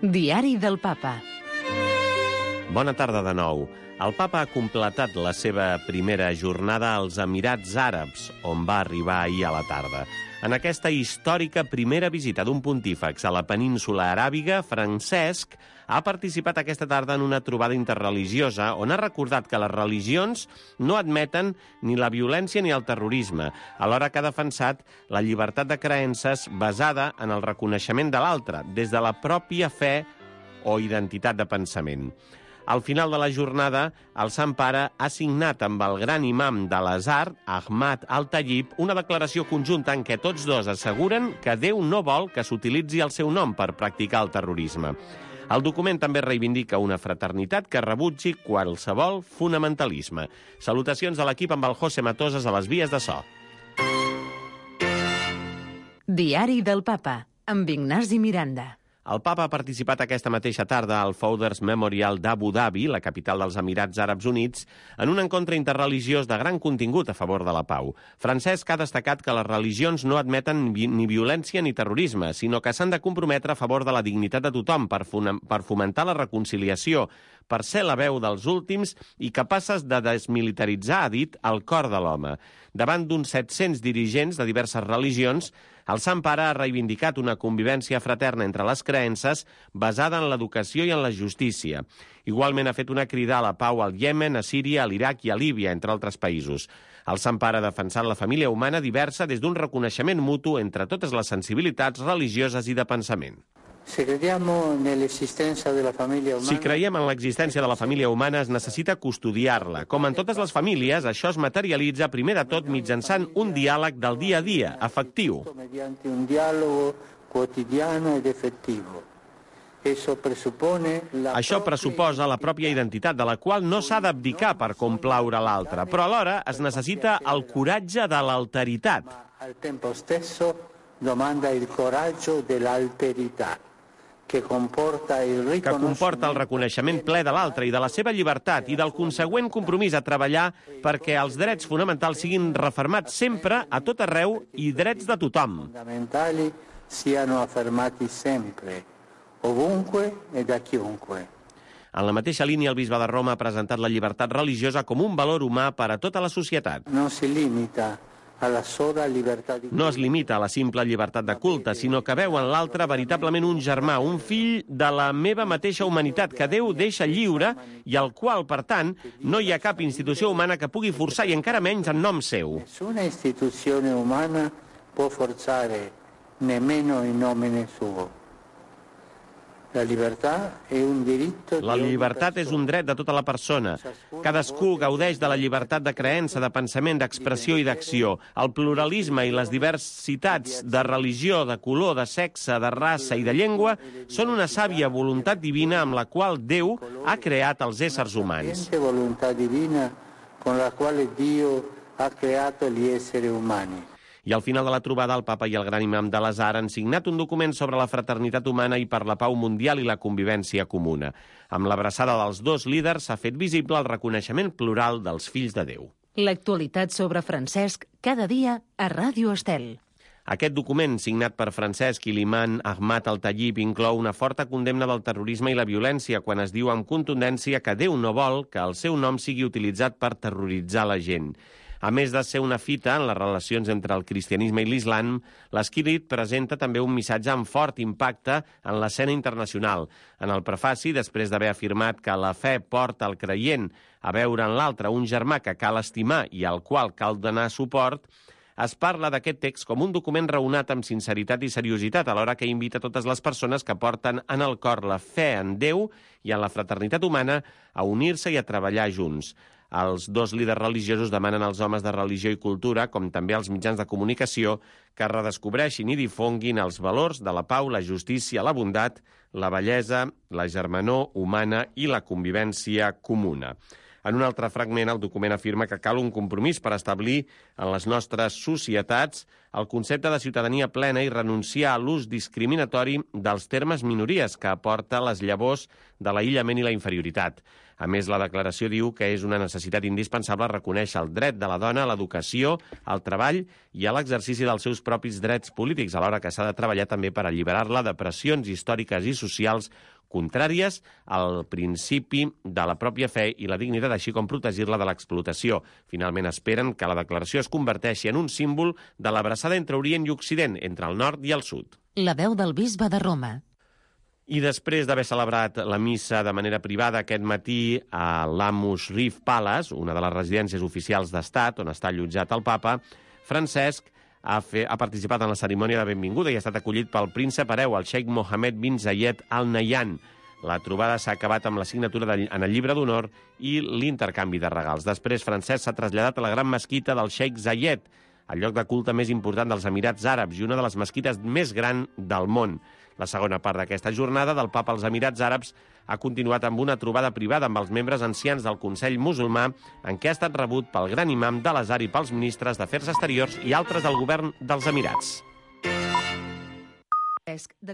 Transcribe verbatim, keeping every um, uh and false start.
Diari del Papa. Bona tarda de nou. El Papa ha completat la seva primera jornada als Emirats Àrabs, on va arribar ahir a la tarda. En aquesta històrica primera visita d'un pontífex a la península aràbiga, Francesc ha participat aquesta tarda en una trobada interreligiosa on ha recordat que les religions no admeten ni la violència ni el terrorisme, alhora que ha defensat la llibertat de creences basada en el reconeixement de l'altre, des de la pròpia fe o identitat de pensament. Al final de la jornada, el Sant Pare ha signat amb el gran imam de l'Azhar, Ahmad Al-Tayyib, una declaració conjunta en què tots dos asseguren que Déu no vol que s'utilitzi el seu nom per practicar el terrorisme. El document també reivindica una fraternitat que rebutgi qualsevol fonamentalisme. Salutacions de l'equip amb el José Matoses a les vies de so. Diari del Papa, amb Ignasi Miranda. El Papa ha participat aquesta mateixa tarda al Founders Memorial d'Abu Dhabi, la capital dels Emirats Àrabs Units, en un encontre interreligiós de gran contingut a favor de la pau. Francesc ha destacat que les religions no admeten ni violència ni terrorisme, sinó que s'han de comprometre a favor de la dignitat de tothom per fomentar la reconciliació, per ser la veu dels últims i capaces de desmilitaritzar, ha dit, el cor de l'home. Davant d'uns set-cents dirigents de diverses religions, el Sant Pare ha reivindicat una convivència fraterna entre les creences basada en l'educació i en la justícia. Igualment ha fet una crida a la pau al Iemen, a Síria, a l'Iraq i a Líbia, entre altres països. El Sant Pare ha defensat la família humana diversa des d'un reconeixement mutu entre totes les sensibilitats religioses i de pensament. Si creiem en l'existència de la família humana... Si creiem en l'existència de la família humana, es necessita custodiar-la. Com en totes les famílies, això es materialitza primer de tot mitjançant un diàleg del dia a dia, afectiu. Mediante un diàleg quotidiano ed efectivo. Això pressuposa la pròpia identitat, de la qual no s'ha d'abdicar per complaure l'altre, però alhora es necessita el coratge de l'alteritat. Al tempo stesso domanda il coraggio dell'alterità, que comporta el que comporta el reconeixement ple de l'altre i de la seva llibertat i del consegüent compromís a treballar perquè els drets fonamentals siguin refermats sempre, a tot arreu, i drets de tothom. Fonamentali siano affermati sempre, ovunque e da chiunque. En la mateixa línia, el bisbe de Roma ha presentat la llibertat religiosa com un valor humà per a tota la societat. No si limita a la sola llibertat... No es limita a la simple llibertat de culte, sinó que veu en l'altre veritablement un germà, un fill de la meva mateixa humanitat, que Déu deixa lliure i al qual, per tant, no hi ha cap institució humana que pugui forçar, i encara menys en nom seu. Nessuna istituzione umana può forzare nemmeno in nomine suo. La llibertat és un diritto... La llibertat és un dret de tota la persona. Cadascú gaudeix de la llibertat de creença, de pensament, d'expressió i d'acció. El pluralisme i les diversitats de religió, de color, de sexe, de raça i de llengua són una sàvia voluntat divina amb la qual Déu ha creat els éssers humans. La voluntat divina con la quale Dio ha creato gli esseri umani. I al final de la trobada, el Papa i el gran imam de l'Azhar han signat un document sobre la fraternitat humana i per la pau mundial i la convivència comuna. Amb l'abraçada dels dos líders s'ha fet visible el reconeixement plural dels fills de Déu. L'actualitat sobre Francesc, cada dia a Ràdio Estel. Aquest document, signat per Francesc i l'imam Ahmad Al-Tayyib, inclou una forta condemna del terrorisme i la violència quan es diu amb contundència que Déu no vol que el seu nom sigui utilitzat per terroritzar la gent. A més de ser una fita en les relacions entre el cristianisme i l'islam, l'escrit presenta també un missatge amb fort impacte en l'escena internacional. En el prefaci, després d'haver afirmat que la fe porta el creient a veure en l'altre un germà que cal estimar i al qual cal donar suport, es parla d'aquest text com un document raonat amb sinceritat i seriositat, alhora que invita totes les persones que porten en el cor la fe en Déu i en la fraternitat humana a unir-se i a treballar junts. Els dos líders religiosos demanen als homes de religió i cultura, com també als mitjans de comunicació, que redescobreixin i difonguin els valors de la pau, la justícia, la bondat, la bellesa, la germanor humana i la convivència comuna. En un altre fragment, el document afirma que cal un compromís per establir en les nostres societats el concepte de ciutadania plena i renunciar a l'ús discriminatori dels termes minories que aporta les llavors de l'aïllament i la inferioritat. A més, la declaració diu que és una necessitat indispensable reconèixer el dret de la dona a l'educació, al treball i a l'exercici dels seus propis drets polítics, alhora que s'ha de treballar també per alliberar-la de pressions històriques i socials contràries al principi de la pròpia fe i la dignitat, així com protegir-la de l'explotació. Finalment, esperen que la declaració es converteixi en un símbol de l'abraçada entre Orient i Occident, entre el nord i el sud. La veu del bisbe de Roma. I després d'haver celebrat la missa de manera privada aquest matí a l'Amus Reef Palace, una de les residències oficials d'estat on està allotjat el papa, Francesc ha, fe, ha participat en la cerimònia de benvinguda i ha estat acollit pel príncep hereu, el xeic Mohammed bin Zayed Al Nahyan. La trobada s'ha acabat amb la signatura de, en el llibre d'honor i l'intercanvi de regals. Després, Francesc s'ha traslladat a la gran mesquita del xeic Zayed, el lloc de culte més important dels Emirats Àrabs i una de les mesquites més grans del món. La segona part d'aquesta jornada del papa als Emirats Àrabs ha continuat amb una trobada privada amb els membres ancians del Consell Musulmà, en què ha estat rebut pel gran imam de l'Azhar i pels ministres d'Afers Exteriors i altres del govern dels Emirats.